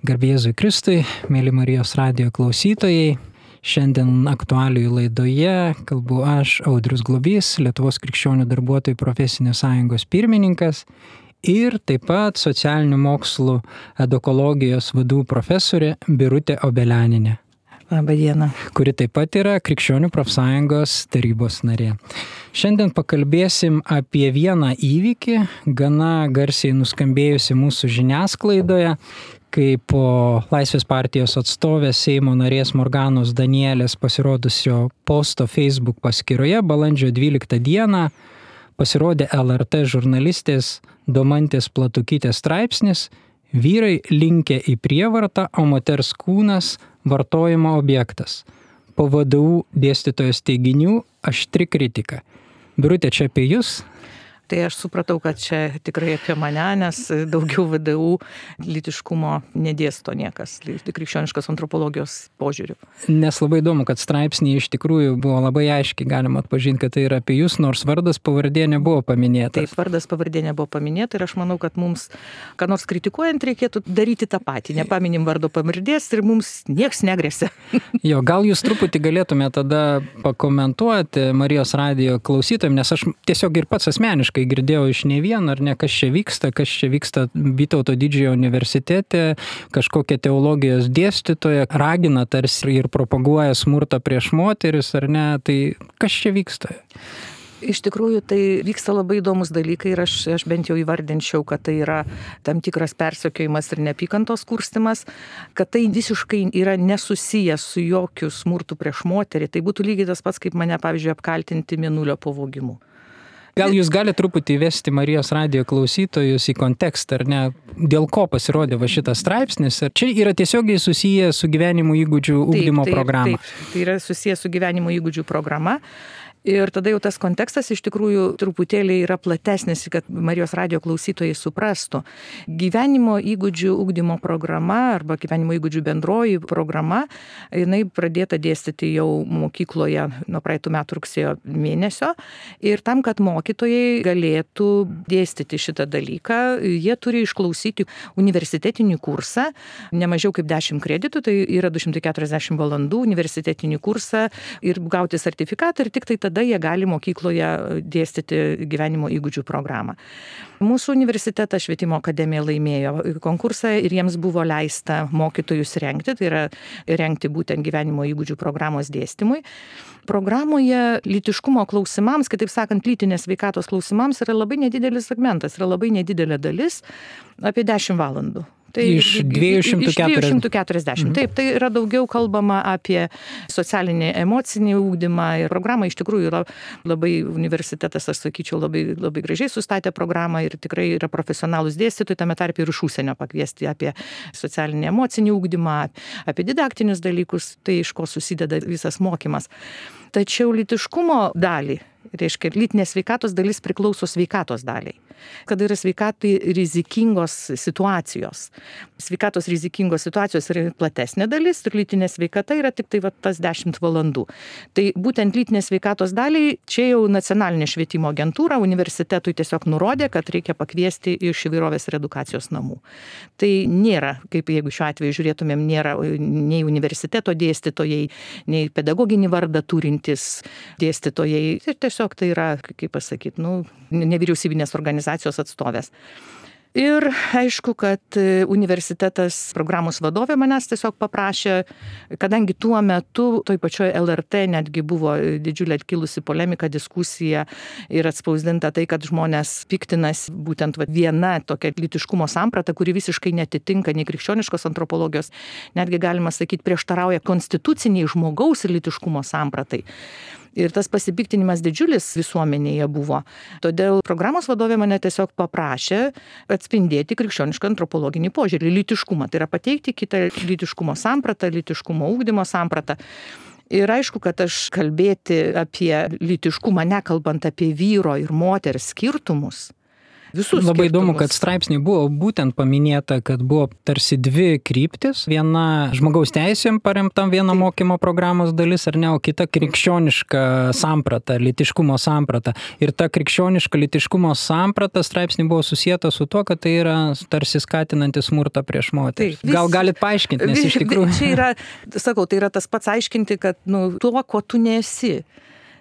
Garbė Jėzui Kristui, mėly Marijos radijo klausytojai. Šiandien aktualijų laidoje kalbu aš, Audrius Globys, Lietuvos krikščionių darbuotojų profesinės sąjungos pirmininkas ir taip pat socialinių mokslų edukologijos vadų profesorė Birutė Obelianinė. Labą dieną. Kuri taip pat yra Krikščionių profsąjungos tarybos narė. Šiandien pakalbėsim apie vieną įvykį, gana garsiai nuskambėjusi mūsų žiniasklaidoje, kai po Laisvės partijos atstovės Seimo narės Morganos Danielės pasirodusio posto Facebook paskyroje balandžio 12 dieną pasirodė LRT žurnalistės Domantės Platukytės straipsnis "Vyrai linkę į prievartą, o moters kūnas vartojimo objektas". Po VDU dėstytojos teiginių aštri kritika. Birutė, čia apie jūs? Tai aš supratau, kad čia tikrai apie mane, nes daugiau VDU lytiškumo nedėsto niekas, krikščioniškos antropologijos požiūrių. Nes labai įdomu, kad straipsnėje iš tikrųjų buvo labai aiškiai galima atpažinti, kad tai yra apie jūs, nors vardas pavardė nebuvo paminėta. Taip, vardas pavardė nebuvo paminėta ir aš manau, kad mums, ką nors kritikuojant, reikėtų daryti tą patį. Nepaminim vardo pavardės ir mums nieks negresia. Jo, gal jūs truputį galėtumėte tada pakomentuoti Marijos radijo klausytojams, nes aš tiesiog ir pats asmeniškai girdėjau iš ne vieno, ar ne, kas čia vyksta Vytauto didžiojo universitete, kažkokia teologijos dėstytoja ragina tarsi ir propaguoja smurtą prieš moteris, ar ne, tai kas čia vyksta? Iš tikrųjų, tai vyksta labai įdomus dalykai ir aš bent jau įvardinčiau, kad tai yra tam tikras persekiojimas ir neapykantos kurstimas, kad tai visiškai yra nesusijęs su jokiu smurtu prieš moterį. Tai būtų lygiai tas pats, kaip mane, pavyzdžiui, apkaltinti mėnulio pavogimu. Gal jūs galite truputį įvesti Marijos radijo klausytojus į kontekstą, ar ne, dėl ko pasirodė va šitas straipsnis, ar čia yra tiesiogiai susiję su gyvenimo įgūdžių ugdymo programa? Taip, tai yra susiję su gyvenimo įgūdžių programa. Ir tada jau tas kontekstas iš tikrųjų truputėlį yra platesnis, kad Marijos radijo klausytojai suprastų. Gyvenimo įgūdžių ugdymo programa arba gyvenimo įgūdžių bendroji programa, jinai pradėta dėstyti jau mokykloje nuo praeitų metų rugsėjo mėnesio. Ir tam, kad mokytojai galėtų dėstyti šitą dalyką, jie turi išklausyti universitetinį kursą, ne mažiau kaip 10 kreditų, tai yra 240 valandų universitetinį kursą ir gauti sertifikatą ir tik tai tada jie gali mokykloje dėstyti gyvenimo įgūdžių programą. Mūsų universitetas Švietimo akademija laimėjo konkursą ir jiems buvo leista mokytojus rengti, tai yra rengti būtent gyvenimo įgūdžių programos dėstymui. Programoje lytiškumo klausimams, kitaip sakant, lytinės sveikatos klausimams yra labai nedidelis segmentas, yra labai nedidelė dalis, apie 10 valandų. Tai iš 240. Taip, tai yra daugiau kalbama apie socialinį, emocinį ugdymą ir programa iš tikrųjų yra labai, universitetas, aš sakyčiau, labai gražiai sustatė programą ir tikrai yra profesionalūs dėstytojai, tame tarpe ir iš užsienio pakviesti apie socialinį, emocinį ugdymą, apie didaktinius dalykus, tai iš ko susideda visas mokymas. Tačiau lytiškumo dalį, reiškia, lytinės sveikatos dalis priklauso sveikatos daliai. Kada yra sveikatai rizikingos situacijos. Sveikatos rizikingos situacijos yra platesnė dalis ir lytinė sveikata yra tik tai tas 10 valandų. Tai būtent lytinės sveikatos daliai čia jau nacionalinė švietimo agentūra universitetui tiesiog nurodė, kad reikia pakviesti iš įvairovės ir edukacijos namų. Tai nėra, kaip jeigu šiuo atveju žiūrėtumėm, nėra nei universiteto dėstytojai, nei pedagoginį vardą turintys dėstytojai. Ir tiesiog tai yra, kaip pasakyti, nevyriausybinės organizacijos atstovės. Ir aišku, kad universitetas programos vadovė manęs tiesiog paprašė, kadangi tuo metu toj pačioj LRT netgi buvo didžiulė kilusi polemika, diskusija ir atspausdinta tai, kad žmonės piktinas būtent viena tokia lytiškumo samprata, kuri visiškai netitinka nei krikščioniškos antropologijos, netgi galima sakyti prieštarauja konstituciniai žmogaus ir lytiškumo sampratai. Ir tas pasipiktinimas didžiulis visuomenėje buvo. Todėl programos vadovė mane tiesiog paprašė atspindėti krikščionišką antropologinį požiūrį, lytiškumą. Tai yra pateikti kitą lytiškumo sampratą, lytiškumo ugdymo sampratą. Ir aišku, kad aš kalbėti apie lytiškumą, nekalbant apie vyro ir moters skirtumus, visus Labai įdomu, skirtumus. kad straipsniai buvo būtent paminėta, kad buvo tarsi dvi kryptis. Viena žmogaus teisėm paremtam viena mokymo programos dalis, ar ne, o kita krikščioniška samprata, lytiškumo samprata. Ir ta krikščioniška lytiškumo samprata straipsniai buvo susijęta su tuo, kad tai yra tarsi skatinantis smurtą prieš moteris. Gal galit paaiškinti, nes iš tikrųjų... Čia yra, sakau, tai yra tas pats aiškinti, kad tuo, ko tu nesi.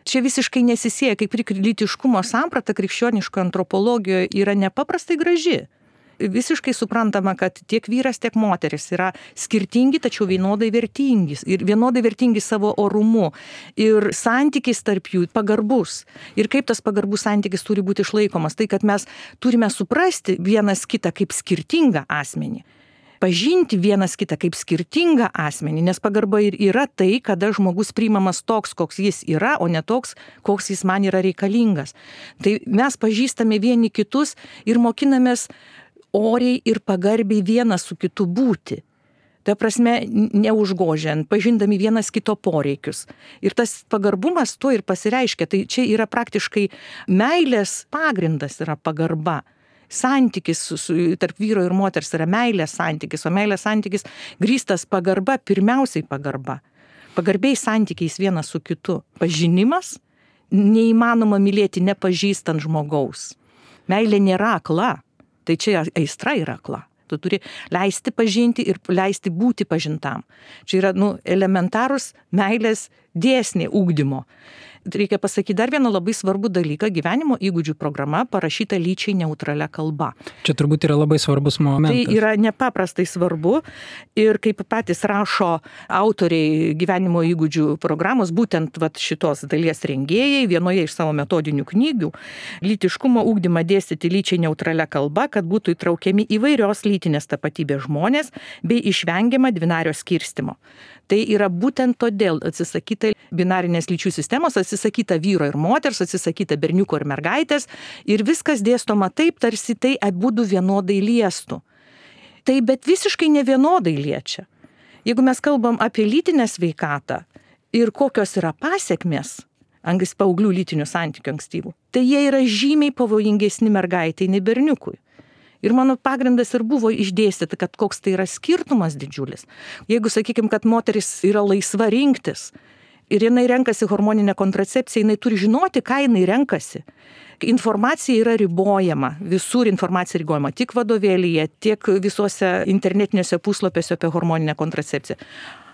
Čia visiškai nesisieja, kaip ir lytiškumo samprata krikščioniško antropologijoje yra nepaprastai graži. Visiškai suprantama, kad tiek vyras, tiek moteris yra skirtingi, tačiau vienodai vertingi. Ir vienodai vertingi savo orumu. Ir santykis tarp jų pagarbus. Ir kaip tas pagarbus santykis turi būti išlaikomas. Tai, kad mes turime suprasti vienas kitą kaip skirtingą asmenį. Pažinti vienas kitą kaip skirtingą asmenį, nes pagarba ir yra tai, kada žmogus priimamas toks, koks jis yra, o ne toks, koks jis man yra reikalingas. Tai mes pažįstame vieni kitus ir mokinamės oriai ir pagarbiai vienas su kitu būti. Ta prasme, neužgožiant, pažindami vienas kito poreikius. Ir tas pagarbumas tuo ir pasireiškia. Tai čia yra praktiškai meilės pagrindas yra pagarba. Santykis tarp vyro ir moters yra meilės santykis, o meilės santykis grįstas pagarba, pirmiausiai pagarba. Pagarbiai santykiais vienas su kitu. Pažinimas neįmanoma mylėti nepažįstant žmogaus. Meilė nėra akla, tai čia aistra yra akla. Tu turi leisti pažinti ir leisti būti pažintam. Čia yra elementarus meilės dėsniai ugdymo. Reikia pasakyti dar vieną labai svarbų dalyką. Gyvenimo įgūdžių programa parašyta lyčiai neutralia kalba. Čia turbūt yra labai svarbus momentas. Tai yra nepaprastai svarbu ir kaip patys rašo autoriai gyvenimo įgūdžių programos, būtent šitos dalies rengėjai, vienoje iš savo metodinių knygų, lytiškumo ugdymą dėstyti lyčiai neutralia kalba, kad būtų įtraukiami įvairios lytinės tapatybės žmonės bei išvengiama dvinario skirstimo. Tai yra būtent todėl atsisakyta binarinės lyčių sistemos, atsisakyta vyro ir moters, atsisakyta berniuko ir mergaitės ir viskas dėstoma taip, tarsi tai abudu vienodai liestų. Tai bet visiškai nevienodai liečia. Jeigu mes kalbam apie lytinę sveikatą ir kokios yra pasiekmės paauglių lytinių santykių ankstyvų, tai jie yra žymiai pavojingesni mergaitai nei berniukui. Ir mano pagrindas ir buvo išdėstyti, kad koks tai yra skirtumas didžiulis. Jeigu, sakykime, kad moteris yra laisva rinktis ir jinai renkasi hormoninę kontracepciją, jinai turi žinoti, ką jinai renkasi. Informacija yra ribojama, visur informacija ribojama, tiek vadovėlyje, tiek visuose internetiniuose puslapiuose apie hormoninę kontracepciją.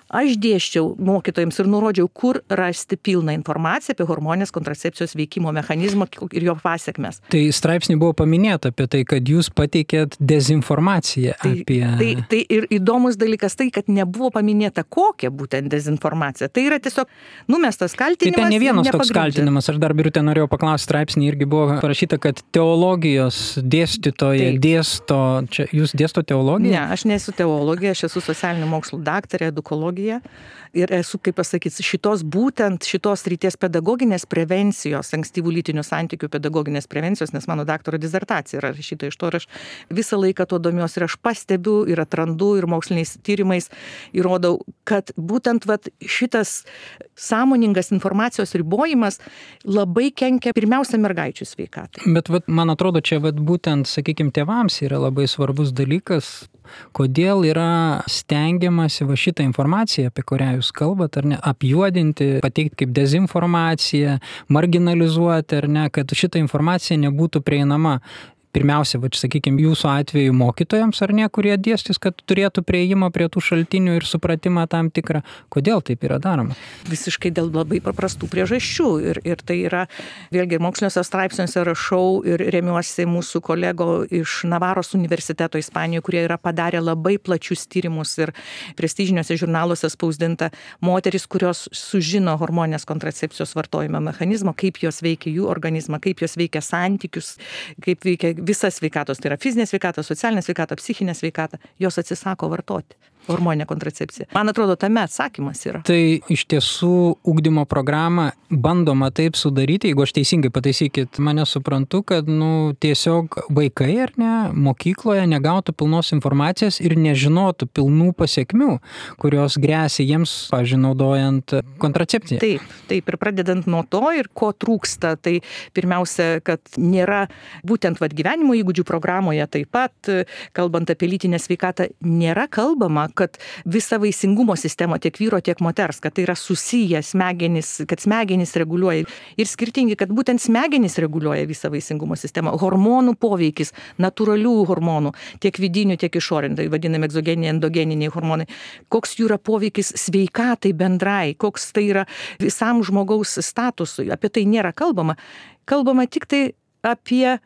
Aš dėsčiau mokytojams ir nurodžiau, kur rasti pilną informaciją apie hormoninės kontracepcijos veikimo mechanizmą ir jo pasiekmes. Tai straipsnį buvo paminėta apie tai, kad jūs pateikėt dezinformaciją apie... Tai ir įdomus dalykas tai, kad nebuvo paminėta kokia būtent dezinformacija. Tai yra tiesiog numestas kaltinimas. Tai ten ne vienas toks kaltinimas. Aš dar Birutė norėjau paklausti, straipsnį irgi buvo parašyta, kad teologijos dėstytoja dėsto... Čia jūs dėsto teologiją? Ne, aš nesu teologija, aš esu socialinių mokslų daktarė, edukologija. Ir esu, kaip pasakyti, šitos ryties pedagoginės prevencijos, ankstyvų lytinių santykių pedagoginės prevencijos, nes mano daktaro disertacija yra rašyta iš to ir aš visą laiką to domiuosi ir aš pastebiu ir atrandu ir moksliniais tyrimais įrodau, kad būtent šitas sąmoningas informacijos ribojimas labai kenkia pirmiausia mergaičių sveikatai. Bet man atrodo, čia būtent, sakykime, tėvams yra labai svarbus dalykas, kodėl yra stengiamasi šitą informaciją, apie kurią jūs kalbat, ar ne, apjuodinti, pateikti kaip dezinformaciją, marginalizuoti, ar ne, kad šita informacija nebūtų prieinama. Pirmiausia, sakykime, jūsų atveju mokytojams, ar ne, kurie dėstys, kad turėtų prieimą prie tų šaltinių ir supratimą tam tikrą. Kodėl taip yra daroma? Visiškai dėl labai paprastų priežasčių. Ir tai yra, vėlgi, moksliniuose straipsniuose rašau ir remiuosi mūsų kolego iš Navaros universiteto Ispanijoje, kurie yra padarę labai plačius tyrimus ir prestižiniuose žurnaluose spausdinta moteris, kurios sužino hormoninės kontracepcijos vartojimo mechanizmą, kaip jos veikia jų organizmą, kaip jos veikia santykius, kaip veikia visa sveikatos, tai yra fizinė sveikata, socialinė sveikata, psichinė sveikata, jos atsisako vartoti hormoninę kontracepciją. Man atrodo, tame atsakymas yra. Tai iš tiesų ugdymo programą bandoma taip sudaryti, jeigu aš teisingai pataisykit, mane suprantu, kad tiesiog vaikai ar ne, mokykloje negautų pilnos informacijos ir nežinotų pilnų pasiekmių, kurios gresia jiems, pavyzdžiui, naudojant kontracepciją. Taip, ir pradedant nuo to ir ko trūksta, tai pirmiausia, kad nėra būtent gyvenimo gyvenimo įgūdžių programoje taip pat, kalbant apie lytinę sveikatą, nėra kalbama, kad visa vaisingumo sistema tiek vyro, tiek moters, kad tai yra susiję smegenys, kad smegenys reguliuoja ir skirtingi, kad būtent smegenys reguliuoja visą vaisingumo sistemą. Hormonų poveikis, natūralių hormonų, tiek vidinių, tiek išorinių, tai vadinami egzogeniniai, endogeniniai hormonai. Koks jų yra poveikis sveikatai bendrai, koks tai yra visam žmogaus statusui. Apie tai nėra kalbama. Kalbama tik tai apie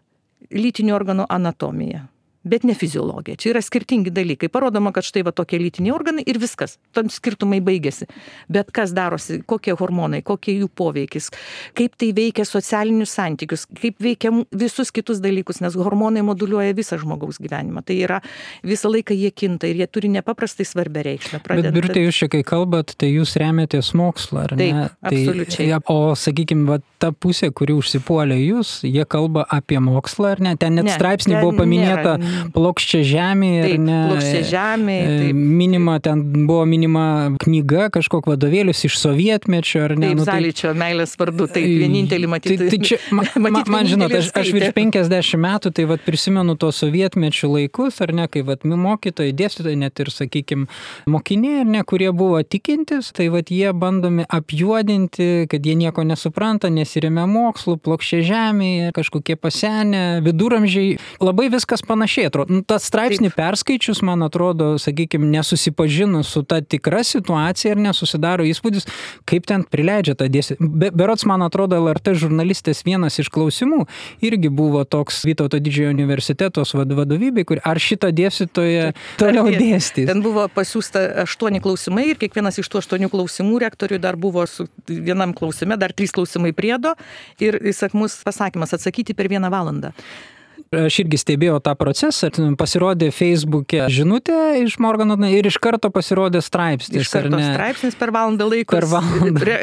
lytinių organų anatomiją, bet ne fiziologiją. Čia yra skirtingi dalykai. Parodoma, kad štai va tokie lytiniai organai ir viskas. Tam skirtumai baigėsi. Bet kas darosi, kokie hormonai, kokie jų poveikis, kaip tai veikia socialinius santykius, kaip veikia visus kitus dalykus, nes hormonai moduliuoja visą žmogaus gyvenimą. Tai yra visą laiką jie kinta ir jie turi nepaprastai svarbę reikšmę. Bet Birutė, jūs čia kai kalbat, tai jūs remiatės mokslą, ar ne? Taip, absoliučiai. O sakykime, ta pusė, kuri užsipuolė jūs, jie kalba apie mokslą, ar ne? Ten net straipsnį buvo paminėta plokščia žemė, ar ne? Plokščia žemė. Minima, ten buvo minima knyga, kažkok vadovėlius iš sovietmečio, ar ne? Taip, Zaličio meilės vardu, taip, vienintelį matyti. Tai čia, man žinot, aš virš 50 metų, tai vat prisimenu to sovietmečio laikus, ar ne, kai vat mokytojai, dėstytojai, net ir, sakykime, mokiniai, ar ne, kurie buvo tikintis, tai vat jie bandomi apjuodinti, kad jie nieko nesupranta, nesiremia mokslu, plokščia žemė, kažkokie pasenę, viduramžiai, labai viskas panašiai. Tas straipsnį perskaičius, man atrodo, sakykime, nesusipažinus su ta tikra situacija ir nesusidaro įspūdis, kaip ten prileidžia tą dėstyti. Berods, man atrodo, LRT žurnalistės vienas iš klausimų irgi buvo toks Vytauto didžiojo universitetos vadovybė, ar šitą dėstytoją toliau dėstys. Ten buvo pasiūsta 8 klausimai ir kiekvienas iš tų 8 klausimų rektoriui dar buvo su vienam klausime, dar 3 klausimai priedo ir įsakmus pasakymas atsakyti per 1 valandą. Aš irgi stebėjau tą procesą, pasirodė Facebook'e žinutė iš Morgano ir iš karto pasirodė straipsnis. Iš karto straipsnis per valandą laiko.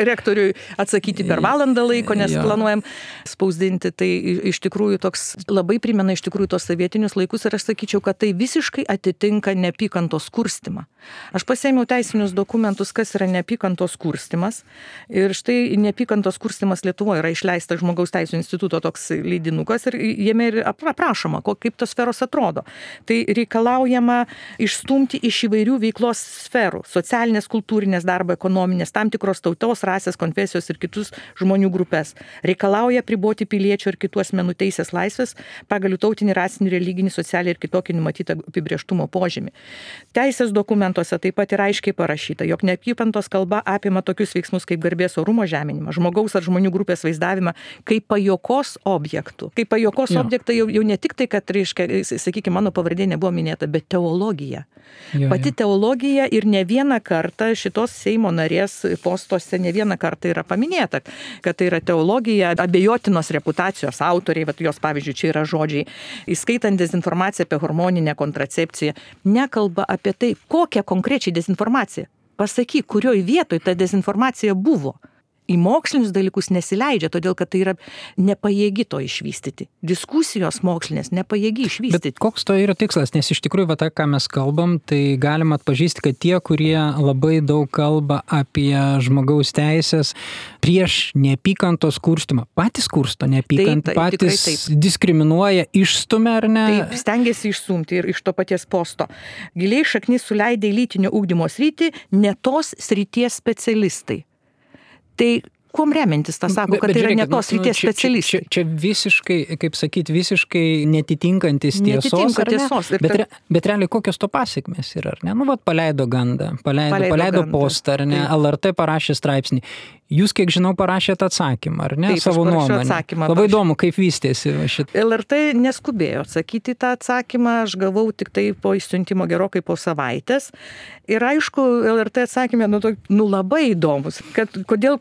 Rektoriui atsakyti per valandą laiko, nes planuojam spausdinti. Tai iš tikrųjų toks labai primena iš tikrųjų tos sovietinius laikus ir aš sakyčiau, kad tai visiškai atitinka neapykantos kurstymą. Aš pasiėmiau teisinius dokumentus, kas yra neapykantos kurstymas. Ir štai neapykantos kurstymas Lietuvoje yra išleista Žmogaus teisų instituto toks leidinukas ir jame ir aprašoma, kaip tos sferos atrodo. Tai reikalaujama išstumti iš įvairių veiklos sferų, socialinės, kultūrinės, darbo, ekonominės, tam tikros tautos, rasės, konfesijos ir kitus žmonių grupės. Reikalauja priboti piliečių ir kitų asmenų teisės laisvės pagal tautinį, rasinį, religinį, socialinį ir kitokį numatytą apibrėžtumo požymį. Teisės dokumentuose taip pat yra aiškiai parašyta, jog neapykantos kalba apima tokius veiksmus kaip garbės orumo žeminimą, žmogaus ar žmonių grupės vaizdavimą kaip pajuokos objektų. Kaip pajuokos objektą jau ne tik tai, kad, reiškia, sakykime, mano pavardė nebuvo minėta, bet teologija. Pati teologija ir ne vieną kartą šitos Seimo narės postuose ne vieną kartą yra paminėta, kad tai yra teologija, abejotinos reputacijos autoriai, vat jos pavyzdžiui čia yra žodžiai, įskaitant dezinformaciją apie hormoninę kontracepciją, nekalba apie tai, kokią konkrečiai dezinformaciją. Pasakyk, kurioj vietoj ta dezinformacija buvo. Į mokslinius dalykus nesileidžia, todėl kad tai yra nepajėgi to išvystyti. Diskusijos mokslinės nepajėgi išvystyti. Bet koks to yra tikslas? Nes iš tikrųjų, va, tą, ką mes kalbam, tai galima atpažįsti, kad tie, kurie labai daug kalba apie žmogaus teisės prieš neapykantos kurstymą, patys kursto neapykantą, patys diskriminuoja, išstumia ar ne? Taip, stengiasi išstumti ir iš to paties posto. Giliai šaknis suleidė į lytinio ugdymo sritį ne tos srities specialistai. Tai kuom remintis, tą sako, kad tai yra ne tos srities specialistai. Čia visiškai, kaip sakyti, visiškai netitinkantis tiesos, ar ne? Bet realiai kokios to pasiekmės yra, ar ne? Nu, vat paleido gandą, paleido postą, ar ne? LRT parašė straipsnį. Jūs, kiek žinau, parašėte atsakymą, ar ne? Taip, savo nuomonę. Labai įdomu, kaip vystėsi šitą. LRT neskubėjo atsakyti tą atsakymą, aš gavau tik tai po išsiuntimo gerokai po savaitės. Ir aišku, LRT atsakymė, labai įdomus, kad kodėl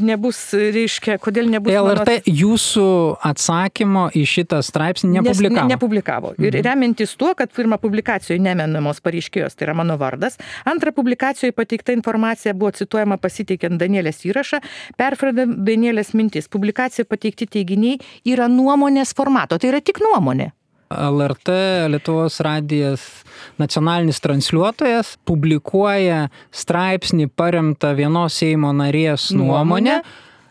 nebus, reiškia, kodėl nebus... LRT jūsų atsakymo į šitą straipsnį nepublikavo. Nepublikavo. Ir remintis tuo, kad pirmą publikacijoje nemenamos pareiškėjos, tai yra mano vardas, antrą publikacijoje pateikta informacija buvo cituojama pasiteikiant Danielės įrašą, perfrazuojant Danielės mintis. Publikacijoje pateikti teiginiai yra nuomonės formato, tai yra tik nuomonė. LRT, Lietuvos radijas, nacionalinis transliuotojas, publikuoja straipsnį paremtą vienos Seimo narės nuomonę,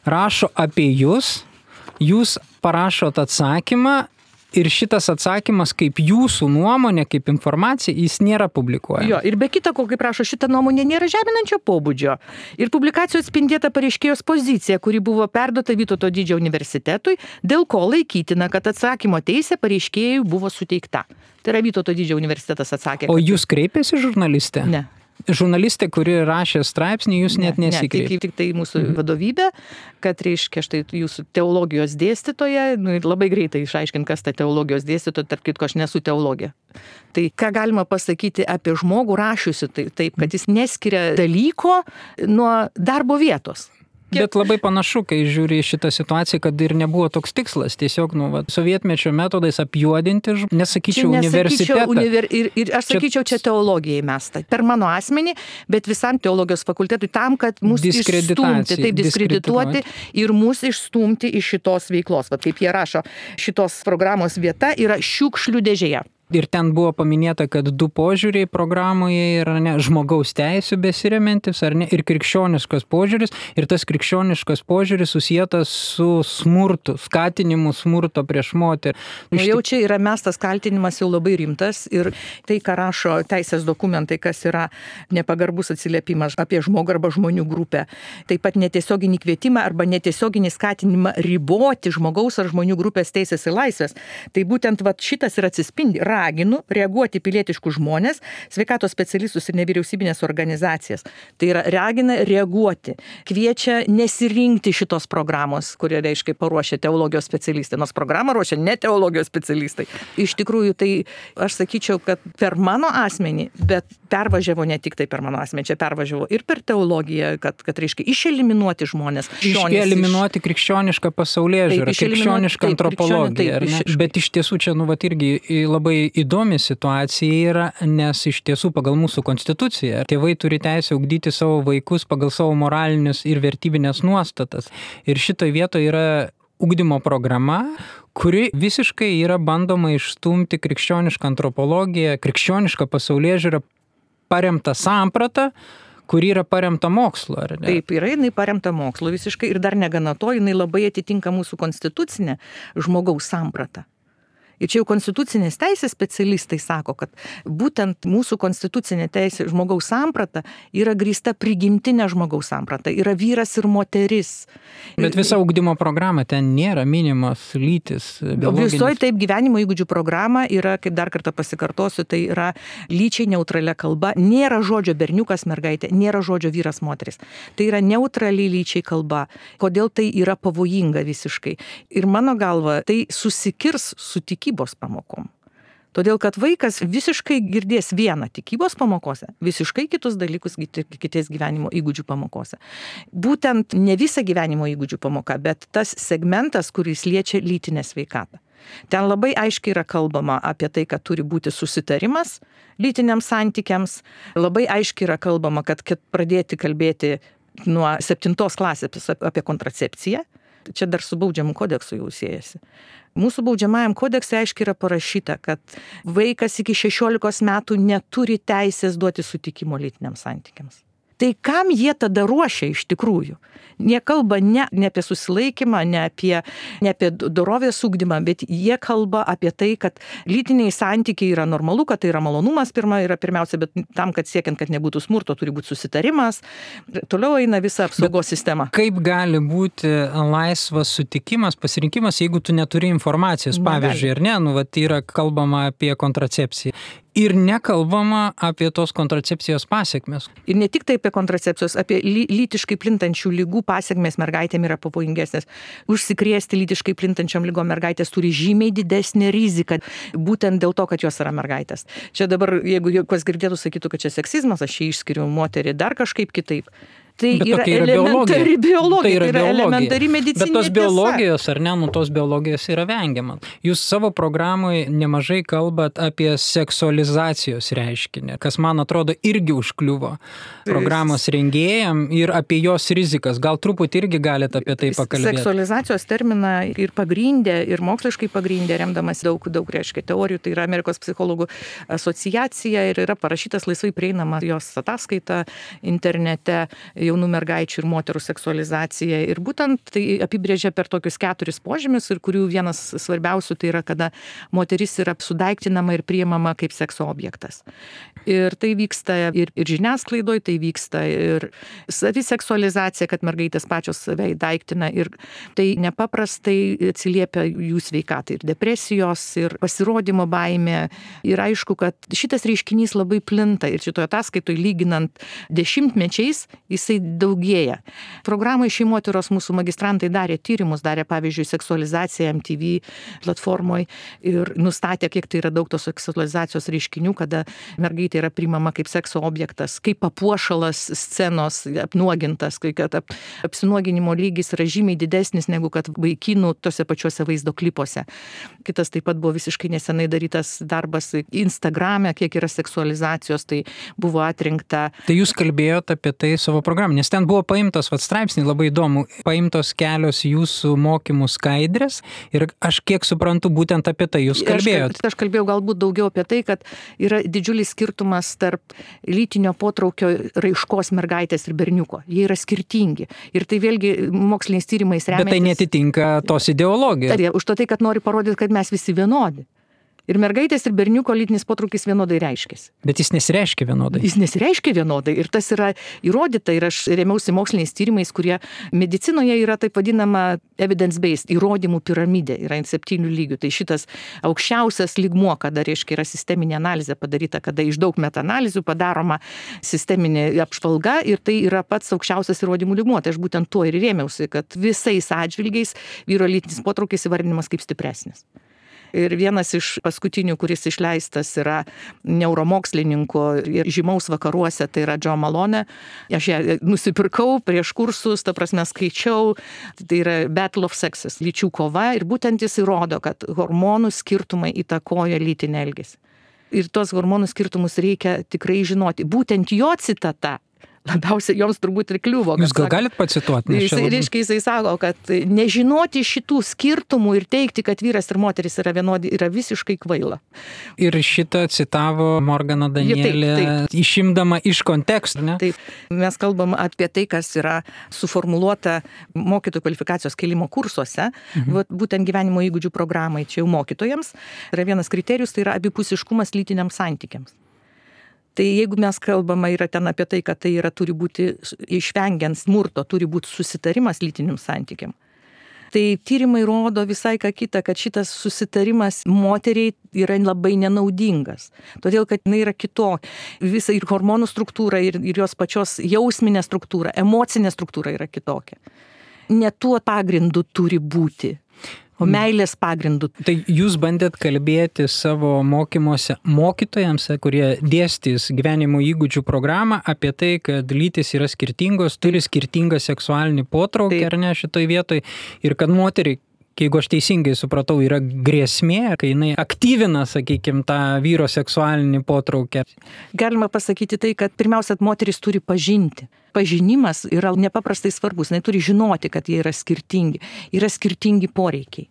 rašo apie jūs parašot atsakymą Ir šitas atsakymas, kaip jūsų nuomonė, kaip informacija, jis nėra publikuojamas. Jo, ir be kita ko, kaip rašo, šita nuomonė nėra žeminančio pobūdžio. Ir publikacijos atspindėta pareiškėjos pozicija, kuri buvo perduota Vytauto Didžiojo universitetui, dėl ko laikytina, kad atsakymo teisė pareiškėjui buvo suteikta. Tai yra Vytauto Didžiojo universitetas atsakė. O jūs kreipėsi žurnalistė? Ne. Žurnalistė, kuri rašė straipsnį, jūs net nesikreipėte. Tik tai mūsų vadovybė, kad reiškia štai jūsų teologijos dėstytoja, labai greitai išaiškint, kas ta teologijos dėstytoja, tarp kitko aš nesu teologė. Tai ką galima pasakyti apie žmogų rašiusi, tai taip, kad jis neskiria dalyko nuo darbo vietos. Bet labai panašu, kai žiūri šitą situaciją, kad ir nebuvo toks tikslas. Tiesiog, sovietmečio metodais apjuodinti, nesakyčiau, universitetą. Ir aš sakyčiau, čia teologijai mesta. Per mano asmenį, bet visam teologijos fakultetui tam, kad mus išstumti, taip diskredituoti ir mus išstumti iš šitos veiklos. Vat kaip jie rašo, šitos programos vieta yra šiukšlių dėžėje. Ir ten buvo paminėta, kad 2 požiūriai programoje yra žmogaus teisių besiremiantis, ar ne, ir krikščioniškas požiūris. Ir tas krikščioniškas požiūris susietas su smurtu, skatinimu smurto prieš moterį. Jau čia yra mestas kaltinimas jau labai rimtas ir tai, ką rašo teisės dokumentai, kas yra nepagarbus atsiliepimas apie žmogų arba žmonių grupę. Taip pat netiesioginį kvietimą arba netiesioginį skatinimą riboti žmogaus ar žmonių grupės teisės ir laisvės. Tai būtent šitas ir atsispindi. Raginu reaguoti pilietiškus žmonės, sveikatos specialistus ir nevyriausybinės organizacijas. Tai yra ragina reaguoti, kviečia nesirinkti šitos programos, kurie reiškia paruošia teologijos specialistai, nors programą ruošia ne teologijos specialistai. Iš tikrųjų, tai aš sakyčiau, kad per mano asmenį, bet pervažiavo ne tik tai per mano asmenį, čia pervažiavo ir per teologiją, kad reiškia išeliminuoti žmonės. Eliminuoti krikščionišką pasaulėžiūrą, krikščionišką antropologiją. Bet iš tiesų čia irgi labai įdomi situacija yra, nes iš tiesų pagal mūsų konstituciją tėvai turi teisę ugdyti savo vaikus pagal savo moralinius ir vertybinės nuostatas. Ir šitoje vietoje yra ugdymo programa, kuri visiškai yra bandoma išstumti krikščionišką antropologiją, krikščionišką pasaulėžiūrą paremtą sampratą, kuri yra paremta mokslu, ar ne? Taip, jinai paremta mokslu visiškai ir dar negana to, jinai labai atitinka mūsų konstitucinę žmogaus sampratą. Ir čia jau konstitucinės teisės specialistai sako, kad būtent mūsų konstitucinė teisė žmogaus samprata yra grįsta prigimtinė žmogaus samprata, yra vyras ir moteris. Bet visa ugdymo programa ten nėra minimos lytis. Visoji taip gyvenimo įgūdžių programa yra, kaip dar kartą pasikartosiu, tai yra lyčiai neutralia kalba, nėra žodžio berniukas, mergaitė, nėra žodžio vyras, moteris. Tai yra neutraliai lyčiai kalba. Kodėl tai yra pavojinga visiškai? Ir mano galva, tai susikirs su tikybos pamokom. Todėl, kad vaikas visiškai girdės vieną tikybos pamokose, visiškai kitus dalykus kitais gyvenimo įgūdžių pamokose. Būtent ne visa gyvenimo įgūdžių pamoka, bet tas segmentas, kuris liečia lytinę sveikatą. Ten labai aiškiai yra kalbama apie tai, kad turi būti susitarimas lytiniams santykiams. Labai aiškiai yra kalbama, kad pradėti kalbėti nuo 7 klasės apie kontracepciją. Čia dar su baudžiamu kodeksu jau siejasi. Mūsų baudžiamajam kodekse aiškiai yra parašyta, kad vaikas iki 16 metų neturi teisės duoti sutikimo lytiniams santykiams. Tai kam jie tada ruošia iš tikrųjų? Jie kalba ne apie susilaikymą, ne apie dorovės ugdymą, bet jie kalba apie tai, kad lytiniai santykiai yra normalu, kad tai yra malonumas pirmiausia, bet tam, kad siekiant, kad nebūtų smurto, turi būti susitarimas. Toliau eina visa apsaugos sistema. Kaip gali būti laisvas sutikimas, pasirinkimas, jeigu tu neturi informacijos? Pavyzdžiui, ar ne? Tai yra kalbama apie kontracepciją. Ir nekalbama apie tos kontracepcijos pasekmes. Ir ne tik tai apie kontracepcijos, apie lytiškai plintančių lygų pasekmės mergaitėm yra pavojingesnės. Užsikrėsti lytiškai plintančiom lygom mergaitės turi žymiai didesnį riziką, būtent dėl to, kad jos yra mergaitės. Čia dabar, jeigu kas girdėtų, sakytų, kad čia seksizmas, aš čia išskiriu moterį dar kažkaip kitaip. Tai yra elementari biologija, tai yra elementari medicininė tiesa. Bet tos biologijos, ar ne, tos biologijos yra vengiama. Jūs savo programoje nemažai kalbat apie seksualizacijos reiškinį, kas, man atrodo, irgi užkliuvo programos rengėjam ir apie jos rizikas. Gal truputį irgi galite apie tai pakalbėti? Seksualizacijos terminą ir pagrindė, ir moksliškai pagrindė, remdamas daug reiškia teorijų, tai yra Amerikos psichologų asociacija ir yra parašytas laisvai prieinama jos ataskaita internete jaunų mergaičių ir moterų seksualizacija. Ir būtent tai apibrėžia per tokius 4 požymius, ir kurių vienas svarbiausių tai yra, kada moteris yra sudaiktinama ir priimama kaip sekso objektas. Ir tai vyksta ir žiniasklaidoje, tai vyksta ir saviseksualizacija, kad mergaitės pačios save įdaiktina, ir tai nepaprastai atsiliepia jų sveikatai, ir depresijos, ir pasirodymo baimė. Ir aišku, kad šitas reiškinys labai plinta, ir šitoje ataskaitoje lyginant dešimtmečiais jisai daugėja. Programoje Šeimotyros mūsų magistrantai darė tyrimus, darė pavyzdžiui seksualizaciją MTV platformoje ir nustatė, kiek tai yra daug tos seksualizacijos reiškinių, kada mergaitė yra priimama kaip sekso objektas, kaip papuošalas scenos, apnuogintas, kai kad apsinuoginimo lygis yra žymiai didesnis negu kad vaikinų tose pačiuose vaizdo klipuose. Kitas taip pat buvo visiškai nesenai darytas darbas Instagrame, kiek yra seksualizacijos, tai buvo atrinkta. Tai jūs kalbėjote apie tai savo programą, nes ten buvo paimtos straipsniai, labai įdomu, paimtos kelios jūsų mokymų skaidrės, ir aš kiek suprantu, būtent apie tai jūs kalbėjote. Aš kalbėjau galbūt daugiau apie tai, kad yra didžiulis skirtumas tarp lytinio potraukio raiškos mergaitės ir berniuko. Jie yra skirtingi. Ir tai vėlgi moksliniais tyrimais remiantis. Bet tai netitinka tos ideologijos. Už to tai, kad nori parodyti, kad mes visi vienodi. Ir mergaitės ir berniuko lytinis potraukis vienodai reiškiasi. Bet jis nesireiškia vienodai. Jis nesireiškia vienodai. Ir tas yra įrodyta. Ir aš remiausi moksliniais tyrimais, kurie medicinoje yra taip vadinama evidence-based, įrodymų piramidė. Yra 7 lygių. Tai šitas aukščiausias lygmuo, kada reiškia yra sisteminė analizė padaryta, kada iš daug metaanalizių padaroma sisteminė apžvalga, ir tai yra pats aukščiausias įrodymų lygmuo. Tai aš būtent tuo ir rėmiausi, kad visais atžvilgiais vyro lytinis potraukis įvardinimas kaip stipresnis. Ir vienas iš paskutinių, kuris išleistas, yra neuromokslininko ir žymaus vakaruose, tai yra Joe Malone. Aš ją nusipirkau prieš kursus, ta prasme skaičiau, tai yra Battle of Sexes, lyčių kova, ir būtent jis įrodo, kad hormonų skirtumai įtakoja lytinį elgesį. Ir tos hormonų skirtumus reikia tikrai žinoti. Būtent jo citata labiausiai joms turbūt ir kliuvo. Jūs gal galit pacituoti? Jisai sako, kad nežinoti šitų skirtumų ir teikti, kad vyras ir moteris yra vienodi, yra visiškai kvaila. Ir šitą citavo Morgana Danielė, taip. Išimdama iš konteksto, ne? Taip. Mes kalbam apie tai, kas yra suformuluota mokytojų kvalifikacijos kėlimo kursuose, būtent gyvenimo įgūdžių programai, čia jau mokytojams. Yra vienas kriterijus, tai yra abipusiškumas lytiniams santykiams. Tai jeigu mes kalbama yra ten apie tai, kad tai yra turi būti išvengiant smurto, turi būti susitarimas lytiniam santykiam. Tai tyrimai rodo visai ką kitą, kad šitas susitarimas moteriai yra labai nenaudingas. Todėl, kad jinai yra kitokia. Visa ir hormonų struktūra, ir jos pačios jausminė struktūra, emocinė struktūra yra kitokia. Ne tuo pagrindu turi būti, o meilės pagrindų. Tai jūs bandėt kalbėti savo mokymuose mokytojams, kurie dėstys gyvenimo įgūdžių programą, apie tai, kad lytis yra skirtingos, turi skirtingą seksualinį potraukį, ar ne, šitoj vietoj, ir kad moteriai, jeigu aš teisingai supratau, yra grėsmė, kai jinai aktyvina, sakykime, tą vyro seksualinį potraukį. Galima pasakyti tai, kad pirmiausia, moteris turi pažinti. Pažinimas yra nepaprastai svarbus. Jis turi žinoti, kad jie yra skirtingi poreikiai.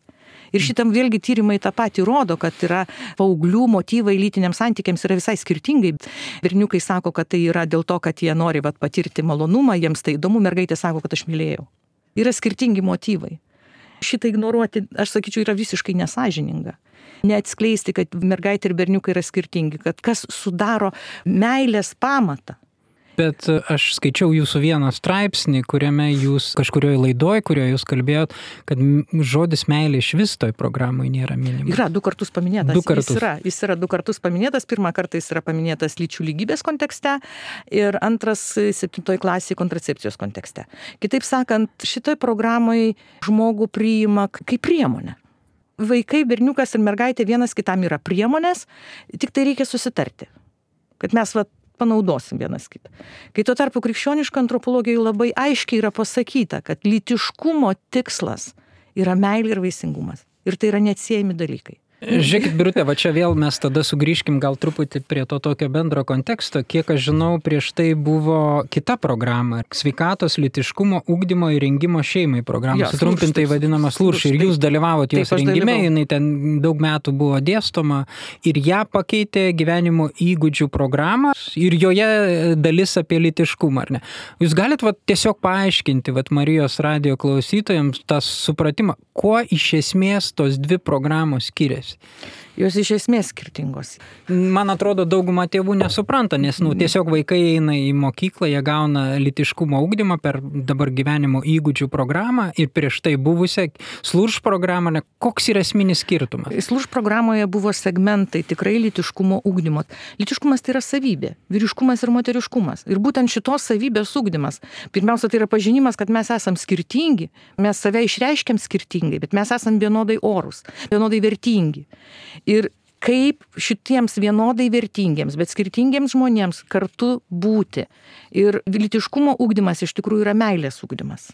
Ir šitam vėlgi tyrimai tą patį rodo, kad yra paauglių motyvai lytiniams santykiams yra visai skirtingai. Berniukai sako, kad tai yra dėl to, kad jie nori patirti malonumą, jiems tai įdomu, mergaitė sako, kad aš mylėjau. Yra skirtingi motyvai. Šitą ignoruoti, aš sakyčiau, yra visiškai nesąžininga. Neatskleisti, kad mergaitė ir berniukai yra skirtingi, kad kas sudaro meilės pamatą. Bet aš skaičiau jūsų vieną straipsnį, kuriame jūs kažkurioje laidoje, kurioje jūs kalbėjot, kad žodis meilė iš vis toj programoje nėra minimas. Yra 2 kartus paminėtas. Jis yra 2 kartus paminėtas. Pirmą kartą jis yra paminėtas lyčių lygybės kontekste ir antras 7 klasėje kontracepcijos kontekste. Kitaip sakant, šitoj programoje žmogų priima kaip priemonę. Vaikai, berniukas ir mergaitė vienas kitam yra priemonės, tik tai reikia susitarti, kad mes panaudosim vienas kitą. Kai tuo tarpu krikščioniška antropologijoje labai aiškiai yra pasakyta, kad lytiškumo tikslas yra meilė ir vaisingumas. Ir tai yra neatsiejami dalykai. Žiūrėkit, Birute, va čia vėl mes tada sugrįžkim gal truputį prie to tokio bendro konteksto. Kiek aš žinau, prieš tai buvo kita programa – sveikatos, lytiškumo, ugdymo ir rengimo šeimai programa, sutrumpintai vadinama SLURŠ. Ir jūs dalyvavot jos rengime, jinai ten daug metų buvo dėstoma ir ją pakeitė gyvenimo įgūdžių programą ir joje dalis apie lytiškumą, ar ne? Jūs galit tiesiog paaiškinti Marijos radijo klausytojams tą supratimą, kuo iš esmės tos dvi programos skiriasi? Jos iš esmės skirtingos. Man atrodo, dauguma tėvų nesupranta, nes tiesiog vaikai eina į mokyklą, jie gauna lytiškumo ugdymą per dabar gyvenimo įgūdžių programą ir prieš tai buvusią SLURŠ programą. Koks yra esminis skirtumas? SLURŠ programoje buvo segmentai tikrai lytiškumo ugdymo. Lytiškumas tai yra savybė, vyriškumas ir moteriškumas. Ir būtent šitos savybės ugdymas. Pirmiausia, tai yra pažinimas, kad mes esam skirtingi, mes save išreiškiam skirtingai, bet mes esam vienodai orūs, vienodai vertingi. Ir kaip šitiems vienodai vertingiems, bet skirtingiems žmonėms kartu būti. Ir lytiškumo ugdymas iš tikrųjų yra meilės ugdymas.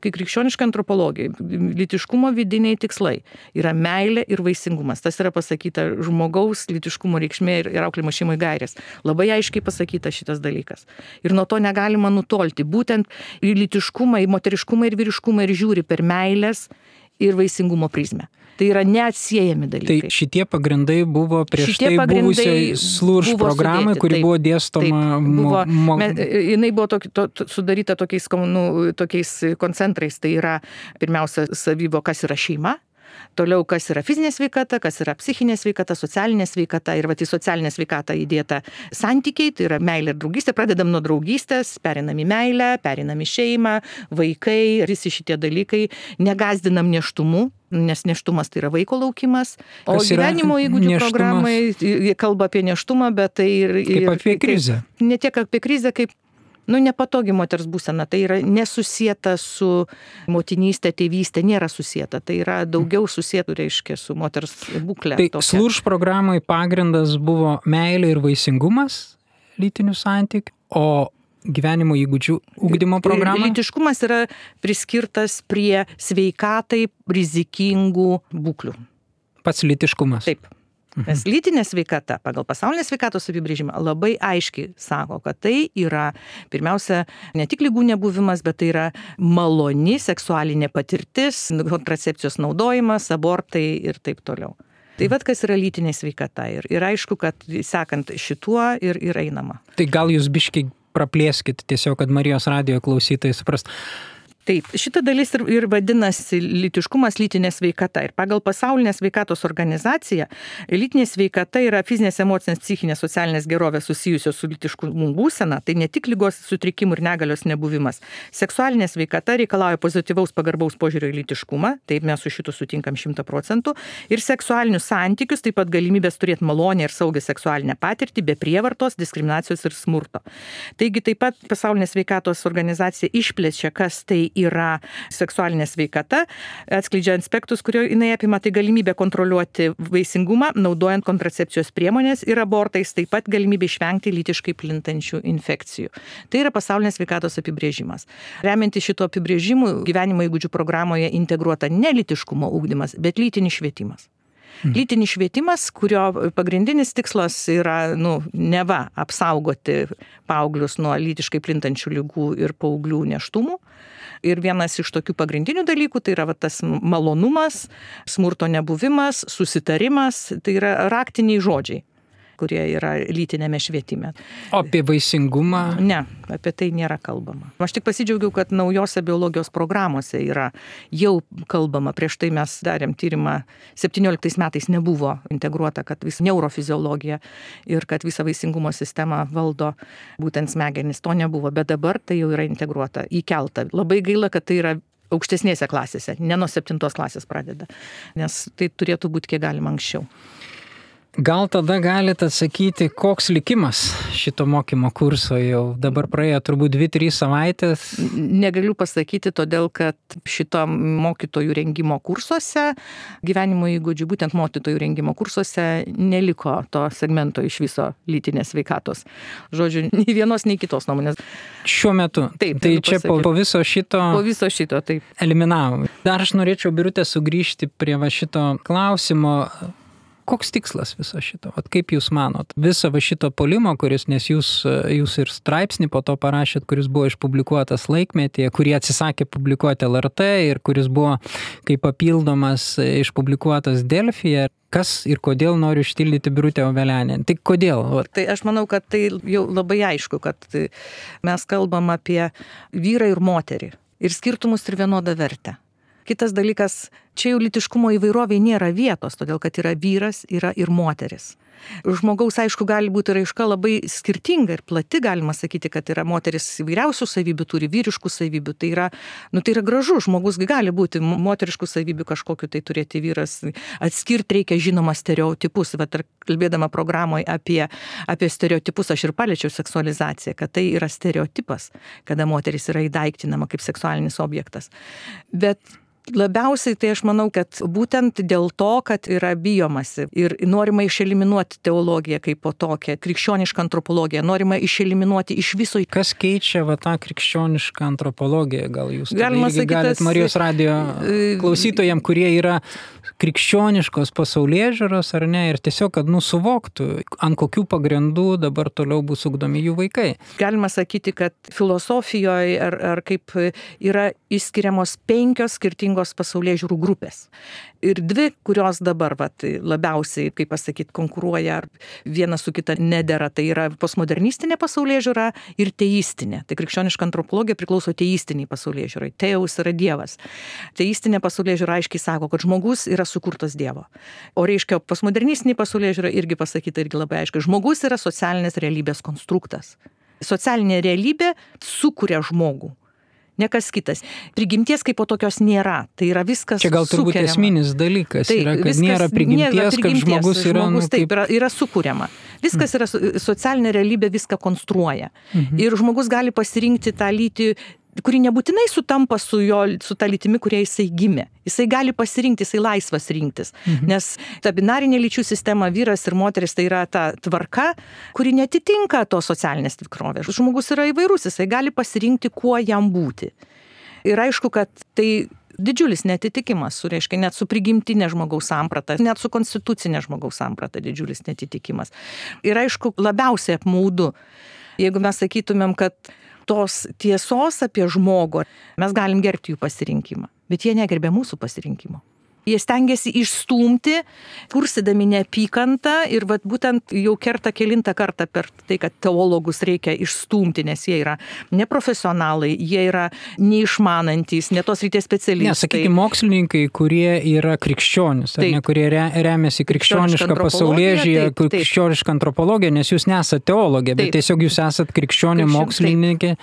Kai krikščioniška antropologija, lytiškumo vidiniai tikslai yra meilė ir vaisingumas. Tas yra pasakyta žmogaus lytiškumo reikšmė ir auklėjimo šeimai gairės. Labai aiškiai pasakyta šitas dalykas. Ir nuo to negalima nutolti. Būtent į lytiškumą, į moteriškumą ir vyriškumą ir žiūri per meilės ir vaisingumo prizmę. Tai yra neatsiejami dalykai. Tai šitie pagrindai buvo prieš tai buvusiai SLURŠ programai, kuri buvo dėstoma. Jinai buvo sudaryta tokiais koncentrais. Tai yra pirmiausia savybo, kas yra šeima. Toliau, kas yra fizinė sveikata, kas yra psichinė sveikata, socialinė sveikata ir į socialinę sveikatą įdėta santykiai, tai yra meilė ir draugystė. Pradedam nuo draugystės, perinam į meilę, perinam į šeimą, vaikai, visi šitie dalykai. Negazdinam nėštumu, nes nėštumas tai yra vaiko laukimas. O gyvenimo įgūdžių programai kalba apie nėštumą, bet tai ir kaip apie krizę. Ne tiek apie krizę, kaip nepatogi moters būsena, tai yra nesusieta su motinystė, tėvystė, nėra susieta, tai yra daugiau susietų, reiškia, su moters būklė. Tai SLURŠ programai pagrindas buvo meilė ir vaisingumas lytinių santykių, o gyvenimo įgūdžių ugdymo programą? Lytiškumas yra priskirtas prie sveikatai rizikingų būklių. Pats lytiškumas? Taip. Nes lytinė sveikata pagal pasaulinės sveikatos apibrėžimą labai aiškiai sako, kad tai yra pirmiausia ne tik ligų nebuvimas, bet tai yra maloni seksualinė patirtis, kontracepcijos naudojimas, abortai ir taip toliau. Tai kas yra lytinė sveikata ir aišku, kad sekant šituo ir einama. Tai gal jūs biškiai praplėskit tiesiog, kad Marijos radijo klausytojai suprast. Taip, šita dalis ir vadinasi lytiškumas, lytinė sveikata. Ir pagal pasaulinę sveikatos organizaciją lytinė sveikata yra fizinės, emocinės, psichinės, socialinės gerovės susijusios su lytiškumu būsena. Tai ne tik ligos sutrikimų ir negalios nebuvimas. Seksualinė sveikata reikalauja pozityvaus pagarbaus požiūrio į lytiškumą. Taip mes su šitu sutinkam 100%. Ir seksualinius santykius, taip pat galimybės turėti malonę ir saugią seksualinę patirtį be prievartos, diskriminacijos ir smurto. Taigi taip pat pasaulinė sveikatos organizacija išplečia, kas tai yra seksualinė sveikata, atskleidžia aspektus, kurio jinai apima, tai galimybė kontroliuoti vaisingumą, naudojant kontracepcijos priemonės ir abortais, taip pat galimybė išvengti lytiškai plintančių infekcijų. Tai yra pasaulinės sveikatos apibrėžimas. Remiantis šito apibrėžimu, gyvenimo įgūdžių programoje integruota ne lytiškumo ugdymas, bet lytinis švietimas. Lytinis švietimas, kurio pagrindinis tikslas yra, neva apsaugoti paauglius nuo lytiškai plintančių ligų ir paauglių nėštumų. Ir vienas iš tokių pagrindinių dalykų, tai yra tas malonumas, smurto nebuvimas, susitarimas, tai yra raktiniai žodžiai, kurie yra lytinėme švietime. O apie vaisingumą? Ne, apie tai nėra kalbama. Aš tik pasidžiaugiau, kad naujose biologijos programuose yra jau kalbama. Prieš tai mes darėm tyrimą, 17 metais nebuvo integruota, kad visa neurofiziologija ir kad visa vaisingumo sistema valdo būtent smegenis. To nebuvo, bet dabar tai jau yra integruota, įkelta. Labai gaila, kad tai yra aukštesnėse klasėse, ne nuo 7 klasės pradeda, nes tai turėtų būti kiek galima anksčiau. Gal tada galite atsakyti, koks likimas šito mokymo kurso jau dabar praėjo turbūt 2-3 savaitės? Negaliu pasakyti, todėl kad šito mokytojų rengimo kursuose, gyvenimo įgūdžių, būtent mokytojų rengimo kursuose neliko to segmento iš viso lytinės sveikatos. Žodžiu, nei vienos, nei kitos nuomonės. Šiuo metu? Taip. Tai čia po viso šito? Po viso šito, taip. Eliminavom. Dar aš norėčiau, Birute, sugrįžti prie šito klausimo. koks tikslas viso šito? Vat kaip jūs manot? Viso va šito puolimo, kuris, nes jūs ir straipsnį po to parašėt, kuris buvo išpublikuotas Laikmetyje, kurį atsisakė publikuoti LRT ir kuris buvo kaip papildomas išpublikuotas Delfyje. Kas ir kodėl noriu ištildyti Birutę Ovelianę? Tai kodėl? Tai aš manau, kad tai jau labai aišku, kad mes kalbam apie vyrą ir moterį ir skirtumus ir vienodą vertę. Kitas dalykas, čia jau lytiškumo įvairoviai nėra vietos, todėl kad yra vyras, yra ir moteris. Žmogaus, aišku, gali būti raiška labai skirtinga ir plati, galima sakyti, kad yra moteris įvairiausių savybių, turi vyriškų savybių. Tai yra gražu, žmogus gali būti moteriškų savybių kažkokiu, tai turėti vyras. Atskirti reikia žinoma stereotipus. Vat, kalbėdama programoje apie stereotipus, aš ir paliečiau seksualizaciją, kad tai yra stereotipas, kada moteris yra įdaiktinama kaip seksualinis objektas. Bet labiausiai tai aš manau, kad būtent dėl to, kad yra bijomasi ir norima išeliminuoti teologiją kaip po tokią, krikščionišką antropologiją, norima išeliminuoti iš viso. Kas keičia tą krikščionišką antropologiją? Gal jūs galit Marijos radijo klausytojams, kurie yra krikščioniškos pasaulėžiūros ar ne, ir tiesiog, kad suvoktų, ant kokių pagrindų dabar toliau bus ugdomi jų vaikai. Galima sakyti, kad filosofijoje ar kaip yra išskiriamos 5 skirtingos pasaulėžiūrų grupės. Ir 2, kurios dabar labiausiai, kaip pasakyti, konkuruoja ar viena su kita nedera, tai yra postmodernistinė pasaulėžiūra ir teistinė. Tai krikščioniška antropologija priklauso teistiniai pasaulėžiūrai. Teus yra Dievas. Teistinė pasaulėžiūra aiškiai sako, kad žmogus yra sukurtas Dievo. O reiškia, postmodernistinė pasaulėžiūra irgi pasakyta irgi labai aiškiai. Žmogus yra socialinės realybės konstruktas. Socialinė realybė sukuria žmogų. Ne kas kitas. Prigimties kaip po tokios nėra. Tai yra viskas čia gal turbūt sukuriama. Esminis dalykas Taip, yra, kad viskas, nėra prigimties, kad žmogus yra... Taip, yra sukuriama. Viskas yra socialinė realybė, viską konstruoja. Ir žmogus gali pasirinkti tą lytį, kuri nebūtinai sutampa su ta lytimi, kurie jisai gimė. Jisai gali pasirinkti, jisai laisvas rinktis. Nes ta binarinė lyčių sistema, vyras ir moteris, tai yra ta tvarka, kuri netitinka to socialinės tikrovės. Žmogus yra įvairus, jisai gali pasirinkti, kuo jam būti. Ir aišku, kad tai didžiulis netitikimas, reiškia net su prigimtinė žmogaus samprata, net su konstitucinė žmogaus samprata didžiulis netitikimas. Ir aišku, labiausiai apmaudu, jeigu mes sakytumėm, kad tos tiesos apie žmogų, mes galim gerbti jų pasirinkimą, bet jie negerbė mūsų pasirinkimo. Jie stengiasi išstumti, kursydami neapykantą ir būtent jau kerta kelintą kartą per tai, kad teologus reikia išstumti, nes jie yra neprofesionalai, jie yra neišmanantys, ne tos ryties specialistai. Sakykime, mokslininkai, kurie yra krikščionys, ne, kurie remiasi krikščionišką pasaulėžiūrą, krikščionišką antropologiją, nes jūs nesate teologė, bet tiesiog jūs esate krikščionė mokslininkė,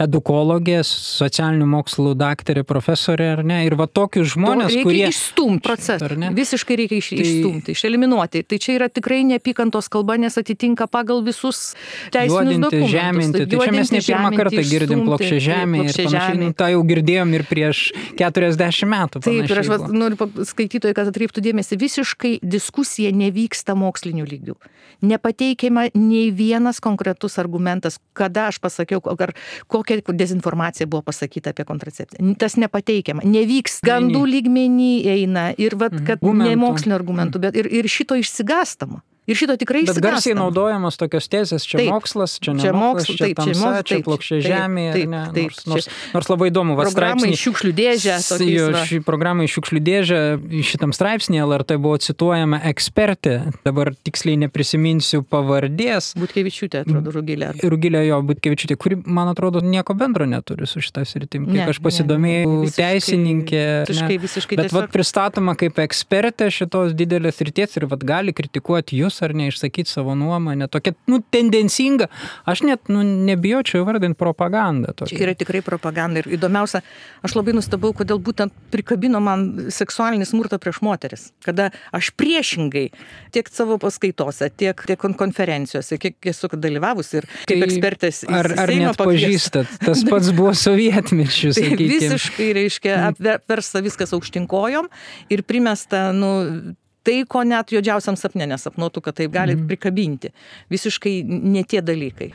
edukologė, socialinių mokslų daktarė, profesorė, ar ne? Ir tokius žmonės, kurie... procesą. Visiškai reikia išstumti, išeliminuoti. Tai čia yra tikrai neapykantos kalba, nes atitinka pagal visus teisinius dokumentus. Žeminti. Tai čia mes ne pirmą kartą girdim plokščią žemę ir panašiai. Tai jau girdėjom ir prieš 40 metų. Taip, ir aš noriu skaitytojai, kad atkreiptų dėmesį, visiškai diskusija nevyksta mokslinių lygių. Nepateikiama nei vienas konkretus argumentas, kada aš pasakiau, ar kokia dezinformacija buvo pasakyta apie kontracepciją. Tas nepateikiama. Nevyks gandų lygmenį eina. Ir kad ne mokslinio argumentų, bet ir šito išsigąstama. Ir šito tikrai išsigąstama. Bet garsiai naudojamos tokios tezės, čia mokslas, čia ne mokslas, čia tamsa, čia plokščia žemė, nors labai įdomu. Programai šiukšlių dėžę. Ši programai šiukšlių dėžę, šitam straipsnėje LRT buvo cituojama ekspertė, dabar tiksliai neprisiminsiu pavardės. Butkevičiūtė, atrodo, Rugilė Butkevičiūtė, kuri, man atrodo, nieko bendro neturi su šitą sritim. Kiek aš pasidomėjau, teisininkė. Bet pristatoma kaip ekspertė šitos didelės srities ir gali kritikuoti jūs ar ne, išsakyti savo nuomonę. Tokia, tendencinga. Aš net, nebijočiau įvardinti propagandą. Čia yra tikrai propaganda. Ir įdomiausia, aš labai nustebau, kodėl būtent prikabino man seksualinį smurtą prieš moteris. Kada aš priešingai tiek savo paskaitose, tiek konferencijose, kiek esu dalyvavus ir kaip ekspertės į Ar net pažįstat? Tas pats buvo sovietmečiu, sakykime. Visiškai, reiškia, apversta viskas aukštinkojom ir primesta, tai, ko net juodžiausiam sapne nesapnuotų, kad taip gali prikabinti. Visiškai ne tie dalykai.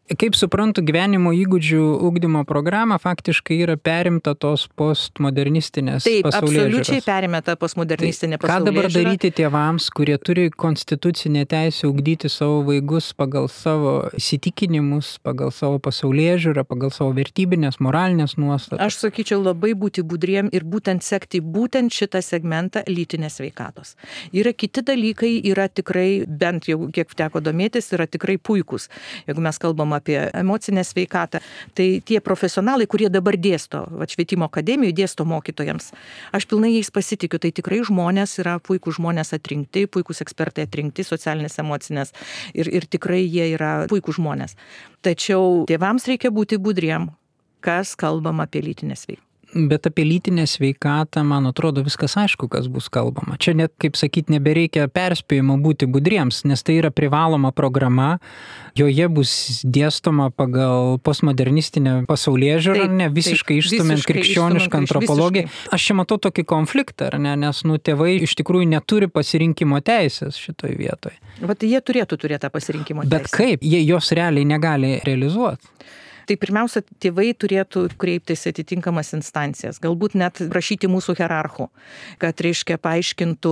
Kaip suprantu, gyvenimo įgūdžių ugdymo programa faktiškai yra perimta tos postmodernistinės pasaulėžiūros. Taip, absoliučiai perimta postmodernistinė pasaulėžiūra. Ką dabar daryti tėvams, kurie turi konstitucinę teisę ugdyti savo vaikus pagal savo įsitikinimus, pagal savo pasaulėžiūrą, pagal savo vertybinės, moralinės nuostatas? Aš sakyčiau, labai būti budriem ir būtent sekti būtent šitą segmentą lytinės sveikatos. Yra kiti dalykai, yra tikrai, bent jau kiek teko domėtis, yra tikrai puikūs. Jeigu mes kalbam apie emocinę sveikatą, tai tie profesionalai, kurie dabar dėsto, švietimo akademijoje dėsto mokytojams, aš pilnai jais pasitikiu, tai tikrai žmonės yra puikūs žmonės atrinkti, puikūs ekspertai atrinkti, socialinės, emocinės ir tikrai jie yra puikūs žmonės. Tačiau tėvams reikia būti budriem, kas kalbam apie lytinę sveikatą. Bet apie lytinę sveikatą, man atrodo, viskas aišku, kas bus kalbama. Čia net, kaip sakyti, nebereikia perspėjimo būti budriems, nes tai yra privaloma programa, joje bus dėstoma pagal postmodernistinę pasaulėžiūrą, visiškai išstumiant krikščionišką antropologiją. Aš čia matau tokį konfliktą, nes tėvai iš tikrųjų neturi pasirinkimo teisės šitoj vietoje. Vat jie turėtų turėti tą pasirinkimo teisę. Bet kaip? Jie jos realiai negali realizuoti. Tai pirmiausia, tėvai turėtų kreiptis atitinkamas instancijas, galbūt net prašyti mūsų hierarchų, kad, reiškia, paaiškintų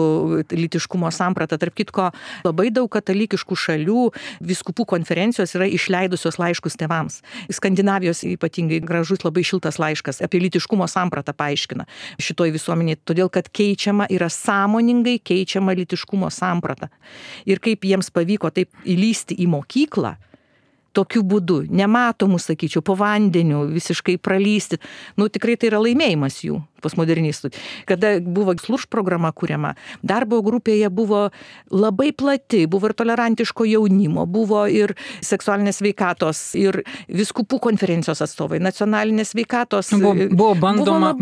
lytiškumo sampratą. Tarp kitko, labai daug katalikiškų šalių vyskupų konferencijos yra išleidusios laiškus tėvams. Skandinavijos ypatingai gražus, labai šiltas laiškas apie lytiškumo sampratą paaiškina šitoj visuomenėje, todėl kad yra sąmoningai keičiama lytiškumo samprata. Ir kaip jiems pavyko taip įlysti į mokyklą, tokiu būdu, nematomų, sakyčiau, po vandeniu, visiškai pralysti. Tikrai tai yra laimėjimas jų, postmodernistų. Kada buvo SLURŠ programa kuriama, darbo grupėje buvo labai plati, buvo ir tolerantiško jaunimo, buvo ir seksualinės sveikatos, ir vyskupų konferencijos atstovai, nacionalinės sveikatos. Buvo bandoma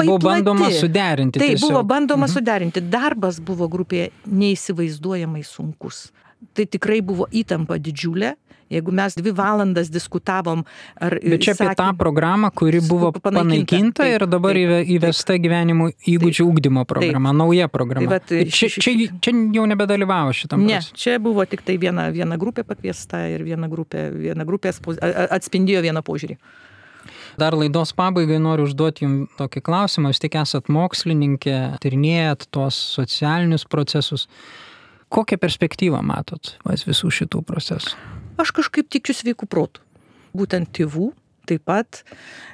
suderinti. Tai buvo bandoma suderinti. Darbas buvo grupėje neįsivaizduojamai sunkus. Tai tikrai buvo įtampa didžiulė. Jeigu mes 2 valandas diskutavom, Bet čia apie tą programą, kuri buvo panaikinta ir dabar įvesta gyvenimo įgūdžių ugdymo programa, nauja programa. Čia jau nebedalyvavo šitam procesui. Ne, čia buvo tik tai viena grupė pakviesta ir viena grupė atspindėjo vieną požiūrį. Dar laidos pabaigai noriu užduoti jums tokį klausimą. Jūs tik esat mokslininkė, tyrinėjat tuos socialinius procesus. Kokią perspektyvą matot visų šitų procesų? Aš kažkaip tikiu sveikų protų. Būtent tėvų taip pat.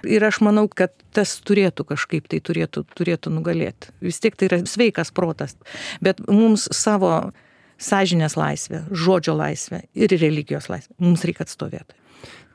Ir aš manau, kad tas turėtų kažkaip tai turėtų nugalėti. Vis tiek tai yra sveikas protas. Bet mums savo sąžinės laisvę, žodžio laisvę ir religijos laisvę mums reikia atstovėti.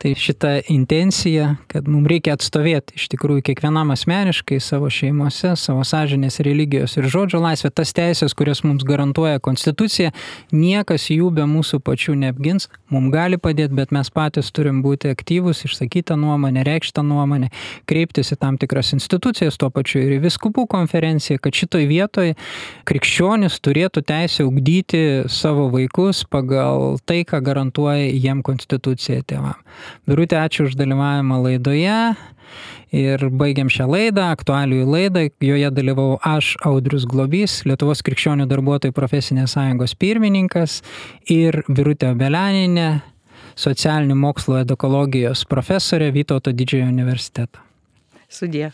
Tai šita intencija, kad mums reikia atstovėti iš tikrųjų kiekvienam asmeniškai savo šeimose, savo sąžinės, religijos ir žodžio laisvę, tas teisės, kurias mums garantuoja konstitucija, niekas jų be mūsų pačių neapgins, mums gali padėti, bet mes patys turim būti aktyvus, išsakytą nuomonę, reikštą nuomonę, kreiptis į tam tikras institucijas, tuo pačiu ir į vyskupų konferenciją, kad šitoj vietoj krikščionis turėtų teisę ugdyti savo vaikus pagal tai, ką garantuoja jiem konstitucija tėvam. Birutė, ačiū už dalyvavimą laidoje ir baigiam šią laidą, aktualijų laidą. Joje dalyvau aš, Audrius Globys, Lietuvos krikščionių darbuotojų profesinės sąjungos pirmininkas ir Birutė Obelianinė, socialinių mokslų edukologijos profesorė Vytauto Didžiojo universiteto. Sudie.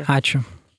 Ačiū.